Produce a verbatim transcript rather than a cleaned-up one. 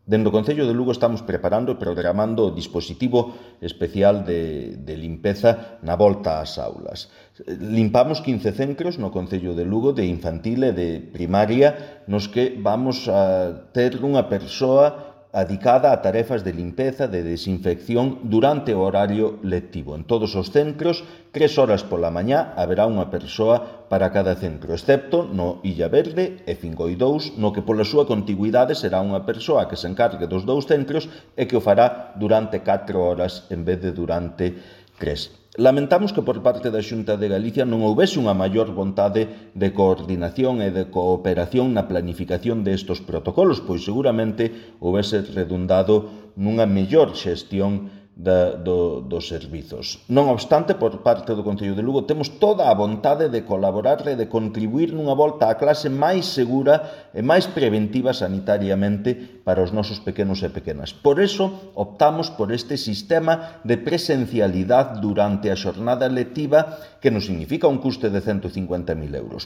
Dende o Concello de Lugo estamos preparando e programando o dispositivo especial de, de limpeza na volta ás aulas. Limpamos quince centros no Concello de Lugo de infantil e de primaria nos que vamos a ter unha persoa adicada a tarefas de limpeza, de desinfección durante o horario lectivo. En todos os centros, tres horas pola mañá, haberá unha persoa para cada centro, excepto no Illa Verde e Cincoidous, no que pola súa contigüidade será unha persoa que se encargue dos dous centros e que o fará durante catro horas en vez de durante tres. Lamentamos que por parte da Xunta de Galicia non houbese unha maior vontade de coordinación e de cooperación na planificación destes protocolos, pois seguramente houbese redundado nunha mellor xestión da, do, dos servizos. Non obstante, por parte do Concello de Lugo temos toda a vontade de colaborar e de contribuir nunha volta á clase máis segura e máis preventiva sanitariamente para os nosos pequenos e pequenas. Por iso, optamos por este sistema de presencialidade durante a xornada lectiva que nos significa un custe de ciento cincuenta mil euros.